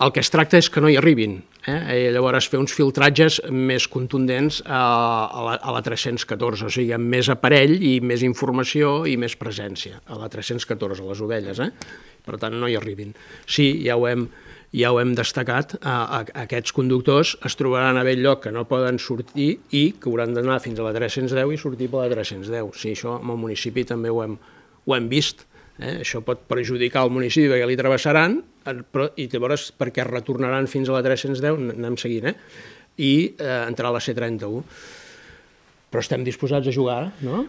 El que es tracta és que no hi arribin, i llavors fer uns filtratges més contundents a la 314, o sigui, amb més aparell i més informació i més presència, a la 314, a les ovelles, per tant no hi arribin. Sí, ja ho hem destacat, aquests conductors es trobaran a bell lloc que no poden sortir i que hauran d'anar fins a la 310 i sortir per la 310. Sí, això amb el municipi també ho hem vist. Això pot perjudicar el municipi perquè li travessaran i llavors perquè retornaran fins a la 310, anem seguint, i entrar a la C31. Però estem disposats a jugar, no?